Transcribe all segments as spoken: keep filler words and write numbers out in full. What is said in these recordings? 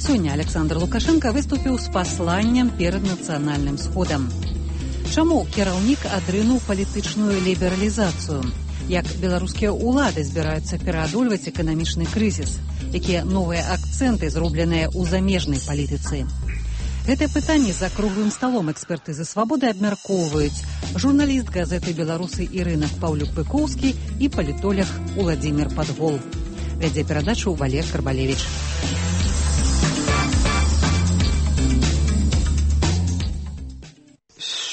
Сёння Александр Лукашенко выступіў з пасланнем перад нацыянальным сходам. Чаму кіраўнік адрынуў палітычную лібералізацыю? Як беларускія ўлады збіраюцца пераадольваць эканамічны крызіс? Якія новыя акцэнты зробленыя ў замежнай палітыцы? Гэтае пытанне за круглым сталом эксперты за свабоды абмяркоўваюць журналіст газеты «Беларусы» Ірына Паўлюк-Пыкоўскі і палітолог Уладзімір Падгол. Вядзе перадачу Валер Карбалевіч.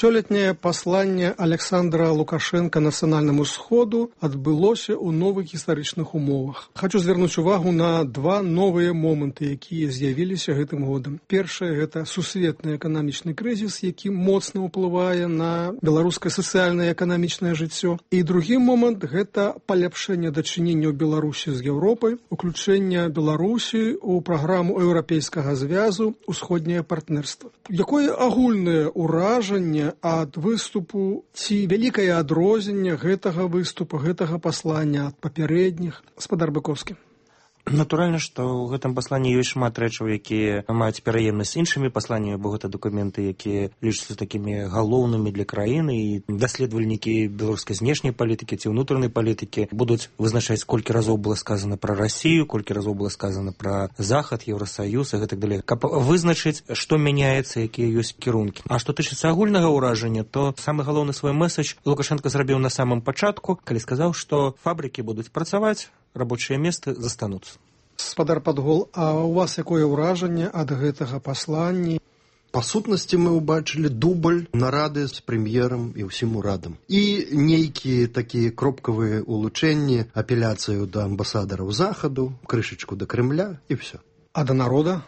Сёлетняе пасланне Александра Лукашенка нацыянальнаму сходу адбылося ў новых гістарычных умовах. Хачу звярнуць увагу на два новыя моманты, якія з'явіліся гэтым годам. Першае – гэта сусветны эканамічны крызіс, які моцна ўплывае на беларускае сацыяльнае і эканамічнае жыццё. І другі момант – гэта паляпшэнне дачыненняў Беларусі з Еўропай, уключэнне Беларусі ў праграму еўрапейскага звязу «Усходняе партнерства». Якое агульнае ўражанне ад выступу ці вялікае адрозненне гэтага выступу, гэтага паслання ад папярэдніх? Гаспадар Быкоўскі. Натуральна, што ў гэтым пасланні ёсць шмат рэчаў, якія маюць пераемнасць з іншымі пасланнямі, бо гэта дакументы, якія лічацца такімі галоўнымі для краіны, і даследавальнікі беларускай знешняй палітыкі ці ўнутранай палітыкі будуць вызначаць, колькі разоў было сказана пра Расію, колькі разоў было сказана пра Захад, Еўрасаюз і гэтак далей, каб вызначыць, што мяняецца, якія ёсць кірункі. А што тычыцца агульнага ўражання, то самы галоўны свой мэсадж Лукашенко зрабіў на самым пачатку, калі сказаў, што фабрыкі будуць працаваць, рабочыя месцы застануцца. Гаспадар Падгол, а у вас якое ўражанне ад гэтага паслання? Па сутнасці мы ўбачылі дубль нарады з прэм'ерам і ўсім урадам. І нейкія такія кропкавыя улучэнні, апеляцыю да амбасадараў Захаду, крышачку да Крэмля і ўсё. А да народа?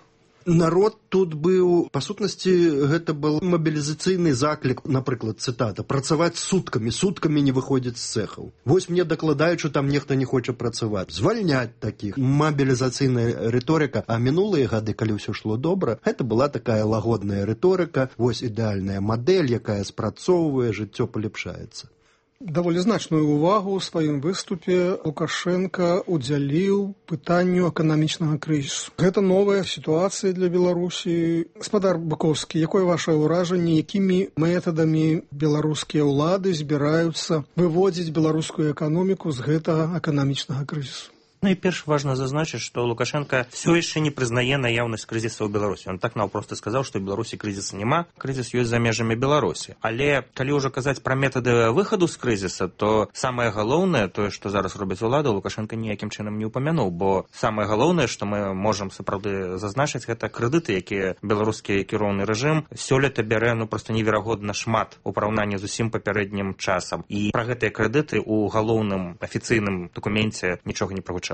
Народ тут быў, па сутнасці, гэта был мабілізацыйны заклік, напрыклад, цытата, працаваць суткамі, суткамі не выходзіць з цэхаў. Вось мне дакладаюць, што там нехта не хоча працаваць. Звальняць такіх. Мабілізацыйная рыторыка. А мінулыя гады, калі ўсё шло добра, гэта была такая лагодная рыторыка, вось ідэальная мадэль, якая спрацоўвае, жыццё паляпшаецца. Даволі значную ўвагу ў сваім выступе Лукашенко удзяліў пытанню эканамічнага крызісу. Гэта новая сітуацыя для Беларусі. Гаспадар Быкоўскі, якое вашае ўражанне, якімі метадамі беларускія ўлады збіраюцца выводзіць беларускую эканоміку з гэтага эканамічнага крызісу? Ну і перш важна зазначыць, што Лукашенко все яшчэ не прызнае наяўнасць крызіса ў Беларусі. Он так наўпрост сказаў, што ў Беларусі крызіса няма, крызіс ёсць за межамі Беларусі. Але калі ўжо казаць пра метады выхаду з крызіса, то самае галоўнае, тое, што зараз робіць улада, Лукашенко ніякім чынам не ўпамянуў, бо самае галоўнае, што мы можам сапраўды зазначыць, гэта крэдыты, якія беларускі кіроўны рэжым сёлета бярэ ну проста неверагодна шмат у параўнанні з усім папярэднім часам. І пра гэтыя крэдыты ў галоўным афіцыйным дакуменце нічога не прагучала.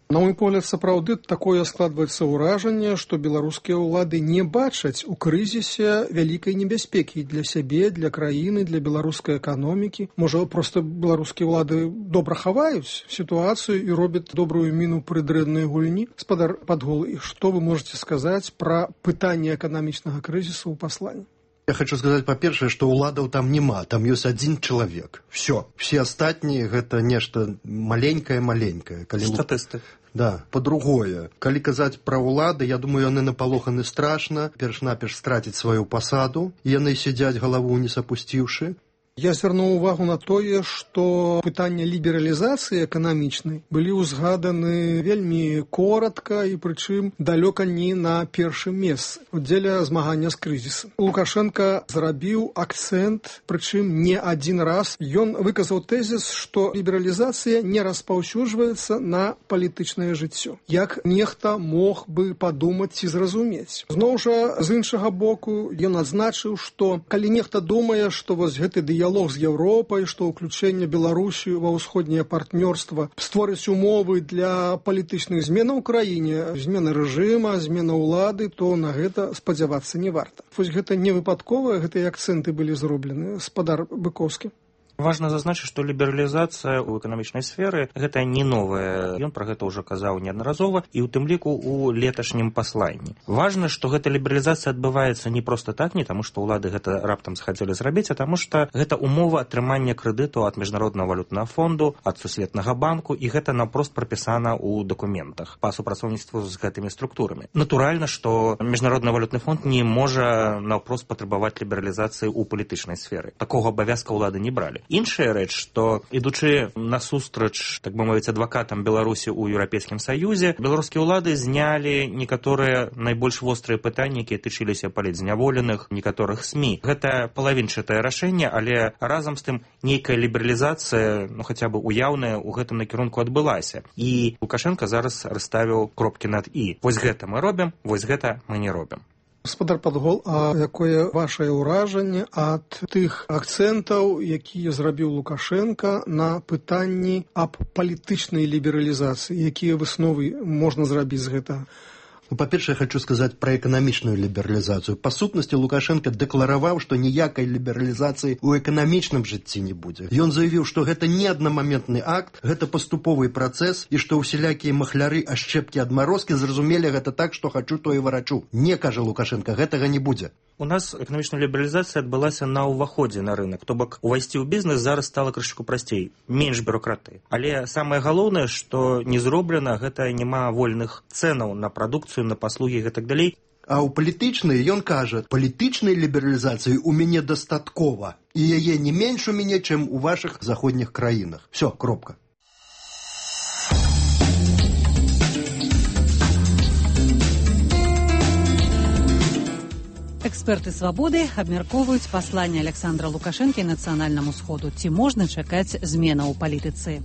На мой погляд, сапраўды такое складваецца ўражанне, што беларускія ўлады не бачаць у крызісе вялікай небяспекі для сябе, для краіны, для беларускай эканомікі. Можа, проста беларускія ўлады добра хаваюць сітуацыю і робяць добрую міну пры дрэннай гульні. Гаспадар Падгол, і што вы можаце сказаць пра пытанне эканамічнага крызісу ў пасланні? Я хочу сказаць, па-першае, што ўладаў там няма, там ёсць адзін чалавек. Всё. Все астатнія гэта нешта маленькае-маленькае. Калі... Статысты. Да. Па-другое, калі казаць пра ўлады, я думаю, яны напалоханы страшна, перш-наперш страціць сваю пасаду, яны сядзяць галаву не сапусціўшы. Я звярнуў увагу на тое, што пытанне лібералізацыі эканамічнай былі ўзгаданы вельмі коратка і прычым далёка не на першым месцы дзеля змагання з крызісам. Лукашенко зрабіў акцэнт, прычым не адзін раз. Ён выказаў тэзіс, што лібералізацыя не распаўсюджваецца на палітычнае жыццё. Як нехта мог бы падумаць ці зразумець. Зноў жа, з іншага боку, ён адзначыў, што калі нехта думае, што вось гэты дыялог дыялог з Еўропай, што ўключэнне Беларусі ва ўсходняе партнёрства створыць умовы для палітычных зменаў у краіне, змены рэжыма, змена ўлады, то на гэта спадзявацца не варта. Вось гэта не выпадковыя, гэтыя акцэнты былі зроблены. Гаспадар Быкоўскі. Важна зазначыць, што лібералізацыя ў эканамічнай сферы гэта не новая. Ён пра гэта ўжо казаў неаднаразова і ў тым ліку ў леташнім пасланні. Важна, што гэта лібералізацыя адбываецца не проста так, не таму што ўлады гэта раптам захацелі зрабіць, а таму што гэта умова атрымання крэдыту ад міжнароднага валютнага фонду, ад сусветнага банку, і гэта наўпрост прапісана ў дакументах па супрацоўніцтву з гэтымі структурамі. Натуральна, што міжнародны валютны фонд не можа наўпрост патрабаваць лібералізацыі ў палітычнай сферы. Такога абавязка ўлады не бралі. Іншая рэч, што ідучы насустрач, так бы мовіць, адвакатам Беларусі ў Еўрапейскім Саюзе, беларускія ўлады знялі некаторыя найбольш вострыя пытанні, якія тычыліся палітзняволеных, некаторых СМІ. Гэта палавінчатае рашэнне, але разам з тым нейкая лібералізацыя, ну хаця бы уяўная, у гэтым накірунку адбылася. І Лукашенко зараз расставіў кропкі над «і». Вось гэта мы робім, вось гэта мы не робім. Гаспадар Падгол, а якое вашае ўражанне ад тых акцэнтаў, якія зрабіў Лукашенко на пытанні аб палітычнай лібералізацыі? Якія высновы можна зрабіць з гэтага? Ну, па-першае, я хочу сказаць пра эканамічную лібералізацыю. Па сутнасці, Лукашенко дэклараваў, што ніякай лібералізацыі ў эканамічным жыцці не будзе. Ён заявіў, што гэта не аднамаментны акт, гэта паступовы працэс, і што ўсялякія махляры, ашчэпкі, адмарозкі зразумелі гэта так, што хачу, то і варачу. Не, кажа Лукашенко, гэтага не будзе. У нас эканамічная лібералізацыя адбылася на ўваходзе на рынок. То бок, увайсці ў бізнес зараз стала крышку прасцей, менш бюракратыі. Але самае галоўнае, што не зроблена, гэта няма вольных цэнаў на прадукцыю, на паслугі і гэтак далей. А ў палітычнай ён кажа, палітычнай лібералізацыі ў мяне дастаткова, і яе не менш у мяне, чым у вашых заходніх краінах. Всё, кропка. Эксперты «Свабоды» абмяркоўваюць пасланне Александра Лукашэнкі нацыянальнаму сходу. Ці можна чакаць зменаў у палітыцы?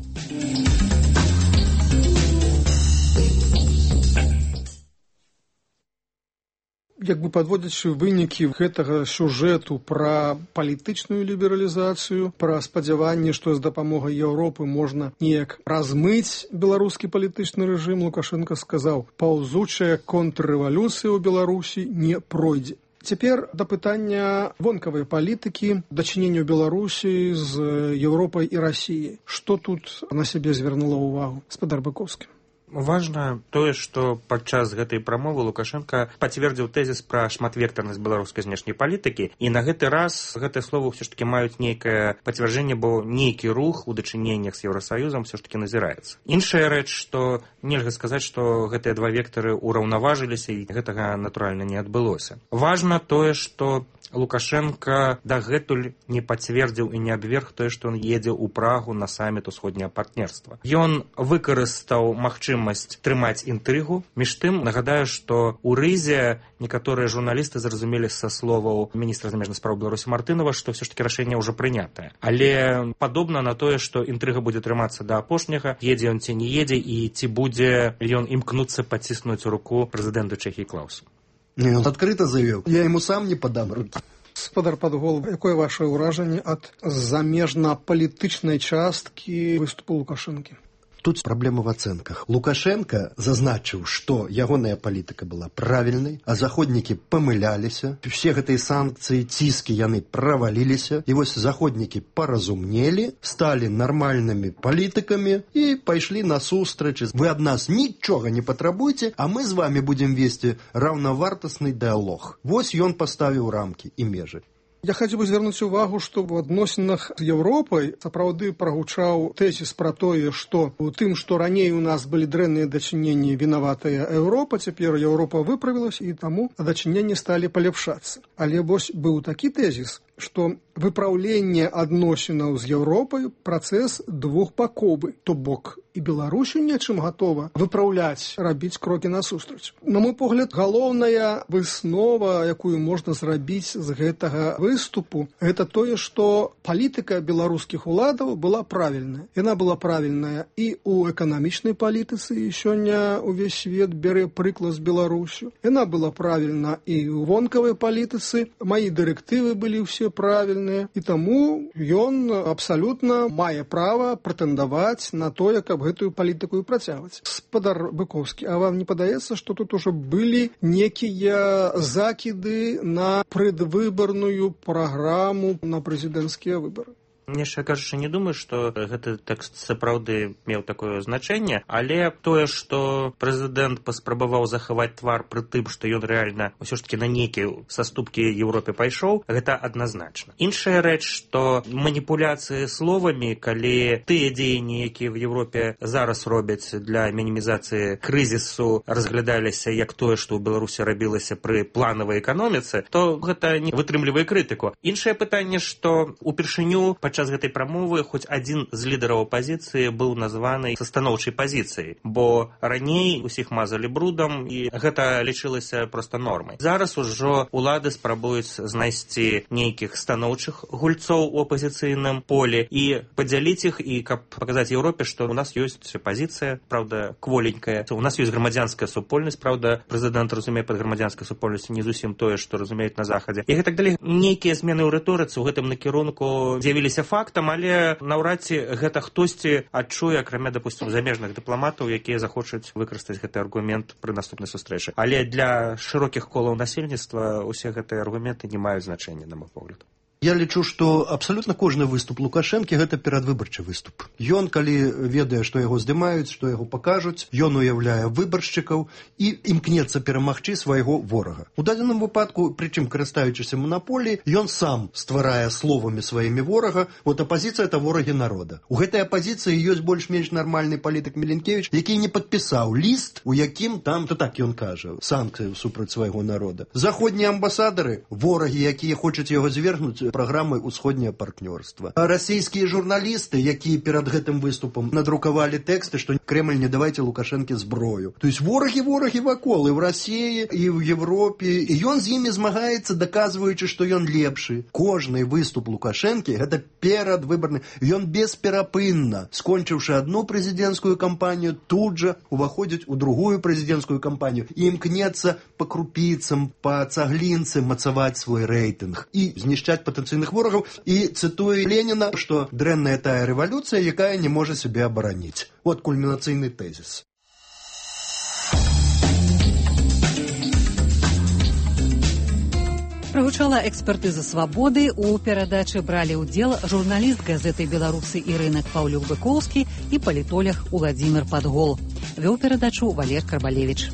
Як бы падводзячы вынікі гэтага сюжэту пра палітычную лібералізацыю, пра спадзяванне, што з дапамогай Еўропы можна неяк размыць беларускі палітычны рэжым, Лукашенко сказаў, паўзучая контррэвалюцыя ў Беларусі не пройдзе. Цяпер да пытання вонкавай палітыкі, дачынення Беларусі з Еўропай і Расіяй. Што тут на сябе звярнула ўвагу гаспадар Быкоўскі? Важна тое, што падчас гэтай прамовы Лукашенко пацвердзіў тэзіс пра шматвектарнасць беларускай знешняй палітыкі, і на гэты раз гэтыя словы ўсё ж такі маюць нейкае пацвярджэнне, бо нейкі рух у дачыненнях з Еўрасаюзам ўсё ж такі назіраецца. Іншая рэч, што нельга сказаць, што гэтыя два вектары ўраўнаважыліся, і гэтага, натуральна, не адбылося. Важна тое, што Лукашенко дагэтуль не пацвердзіў і не абверг тое, што ён едзе ў Прагу на саміт усходняга партнерства. Ён выкарыстаў магчымасць трымаць інтрыгу. Між тым, нагадаю, што ў Рызе некаторыя журналісты зразумелі са словаў міністра замежных спраў Беларусі Мартынова, што ўсё ж такі рашэнне ўжо прынятае. Але падобна на тое, што інтрыга будзе трымацца да апошняга, едзе ён ці не едзе, і ці будзе ён імкнуцца паціснуць руку прэзідэнту Чэхіі Клаусу. Не, он адкрыта заявіў, я яму сам не падам рукі. Гаспадар Падгол, якое ваше ўражанне ад замежна-палітычнай часткі выступу Лукашэнкі? Тут праблема в ацэнках. Лукашенко зазначыў, што ягоная палітыка была правільнай, а заходнікі памыляліся, все гэтыя санкцыі, ціскі яны праваліліся, і вось заходнікі паразумнелі, сталі нармальнымі палітыкамі і пайшлі насустрач. Вы ад нас нічога не патрабуйце, а мы з вами будзем весці раўнавартасны дыалог. Вось ён паставіў рамкі і межы. Я хацеў бы звярнуць увагу, што ў адносінах з Еўропай сапраўды прагучаў тэзіс пра тое, што у тым, што раней у нас былі дрэнныя дачыненні, вінаватая Еўропа, цяпер Еўропа выправілася, і таму дачыненні сталі паляпшацца. Але вось быў такі тэзіс, што выпраўленне адносінаў з Еўропай працэс двухбаковы, то бок і Беларусі нечым гатова выпраўляць, рабіць крокі насустрач. На мой погляд, галоўная выснова, якую можна зрабіць з гэтага выступу, гэта тое, што палітыка беларускіх уладаў была правільная. Яна была правільная і ў эканамічнай палітыцы, і сёння увесь свет бярэ прыклад з Беларусю. Яна была правільна і ў вонкавай палітыцы. Маі дырэктывы былі ўсе правільныя, і таму ён абсалютна мае права прэтэндаваць на тое, каб гэтую палітыку і працягваць. Гаспадар Быкоўскі, а вам не падаецца, што тут ужо былі некія закіды на прадвыбарную праграму на прэзідэнцкія выбары? Яшчэ кажучы, не думаю, што гэты тэкст сапраўды меў такое значэнне, але тое, што прэзідэнт паспрабаваў захаваць твар пры тым, што ён рэальна ўсё ж такі на нейкія саступкі Еўропе пайшоў, гэта адназначна. Іншая рэч, што маніпуляцыі словамі, калі тыя дзеянні, якія в Еўропе зараз робяць для мінімізацыі крызісу, разглядаліся як тое, што ў Беларусі рабілася пры планавай эканоміцы, то гэта не вытрымлівае крытыку. Іншае пытанне, што упершыню падчас гэтай прамовы хоць адзін з лідараў апазіцыі быў названы са станоўчай пазіцыяй, бо раней усіх мазалі брудам і гэта лічылася проста нормай. Зараз ужо улады спрабуюць знайсці нейкіх станоўчых гульцоў у апазіцыйным полі і падзяліць іх, і каб паказаць Еўропе, што у нас ёсць пазіцыя, правда, кволенькая. У нас ёсць грамадзянская супольнасць, правда, прэзідэнт разумее пад грамадзянскай супольнасцю не зусім тое, што разумеюць на захадзе. І гэтак далей. Нейкія змены ў рыторыцы ў гэтым накірунку з'явіліся фактам, але наўрад ці гэта хтосьці адчуе, акрамя, допустим, замежных дыпламатаў, якія захочуць выкарыстаць гэты аргумент пры наступнай сустрэчы. Але для шырокіх колаў насельніцтва усе гэтыя аргументы не маюць значэння, на мой погляд. Я лічу, што абсалютна кожны выступ Лукашэнкі гэта перадвыбарчы выступ. Ён, калі ведае, што яго здымаюць, што яго пакажуць, ён уяўляе выбаршчыкаў і імкнецца перамагчы свайго ворага. У дадзеным выпадку, прычым карыстаючыся манаполіяй, ён сам стварае словамі сваімі ворага, от апазіцыя – это ворагі народа. У гэтай апазіцыі ёсць больш-менш нармальны палітык Міленкевіч, які не падпісаў ліст, у якім там, то так ён кажа, санкцыі супраць свайго народа. Заходнія амбасадары, ворагі, якія хочуць яго звергнуць праграмай «Усходняе партнёрства». А расійскія журналісты, якія перад гэтым выступам надрукавалі тэксты, што Кремль не давайце Лукашэнке зброю. То есть ворагі-ворагі вакол і ў Расіі, і ў Европе. І ён з імі змагаецца, даказваючы, што ён лепшы. Кожны выступ Лукашэнкі – гэта перадвыбарны. Ён бесперапынна, скончыўшы адну прэзідэнцкую кампанію, тут жа уваходзіць у другую прэзідэнцкую кампанію і імкнецца па крупіцам, па цаглінцы мацаваць свой рэйтынг і знішчаць патэнцыйных ворагаў. І цытуе Леніна, што дрэнная тая рэвалюцыя, якая не можа сябе абараніць. Вот кульмінацыйны тэзіс. Прагучала экспертыза «Свабоды». У перадачы бралі ўдзел журналіст газеты «Беларусы» і рынак Паўлюк Быкоўскі і палітолог Уладзімір Падгол. Вёў перадачу Валер Карбалевіч.